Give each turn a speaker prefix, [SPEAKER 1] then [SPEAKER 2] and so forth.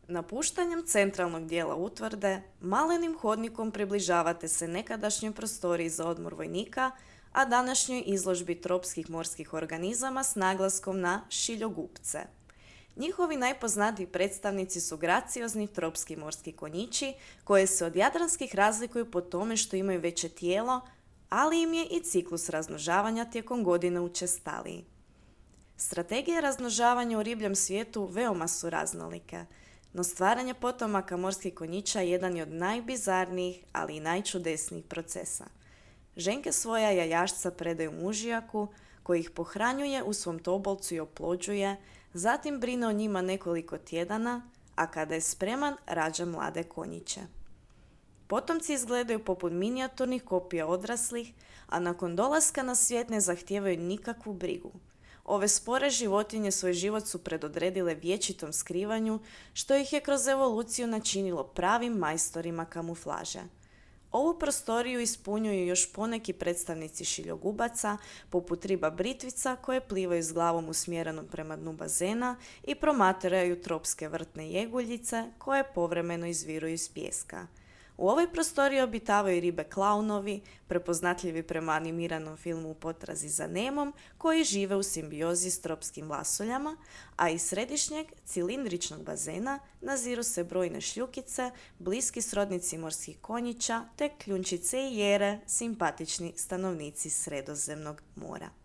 [SPEAKER 1] Napuštanjem centralnog dijela utvrde, malenim hodnikom približavate se nekadašnjoj prostoriji za odmor vojnika, a današnjoj izložbi tropskih morskih organizama s naglaskom na šiljogupce. Njihovi najpoznatiji predstavnici su graciozni tropski morski konjići, koje se od jadranskih razlikuju po tome što imaju veće tijelo, ali im je i ciklus razmnožavanja tijekom godine učestaliji. Strategije razmnožavanja u ribljem svijetu veoma su raznolike, no stvaranje potomaka morskih konjića jedan je od najbizarnijih, ali i najčudesnijih procesa. Ženke svoja jajašca predaju mužijaku, koji ih pohranjuje u svom tobolcu i oplođuje, zatim brine o njima nekoliko tjedana, a kada je spreman, rađa mlade konjiće. Potomci izgledaju poput minijaturnih kopija odraslih, a nakon dolaska na svijet ne zahtijevaju nikakvu brigu. Ove spore životinje svoj život su predodredile vječitom skrivanju, što ih je kroz evoluciju načinilo pravim majstorima kamuflaže. Ovu prostoriju ispunjuju još poneki predstavnici šiljogubaca, poput riba britvica koje plivaju s glavom usmjerenom prema dnu bazena i promatraju tropske vrtne jeguljice koje povremeno izviruju iz pijeska. U ovoj prostoriji obitavaju ribe klaunovi, prepoznatljivi prema animiranom filmu U potrazi za Nemom, koji žive u simbiozi s tropskim vlasoljama, a iz središnjeg cilindričnog bazena naziru se brojne šljukice, bliski srodnici morskih konjića, te kljunčice i jere, simpatični stanovnici Sredozemnog mora.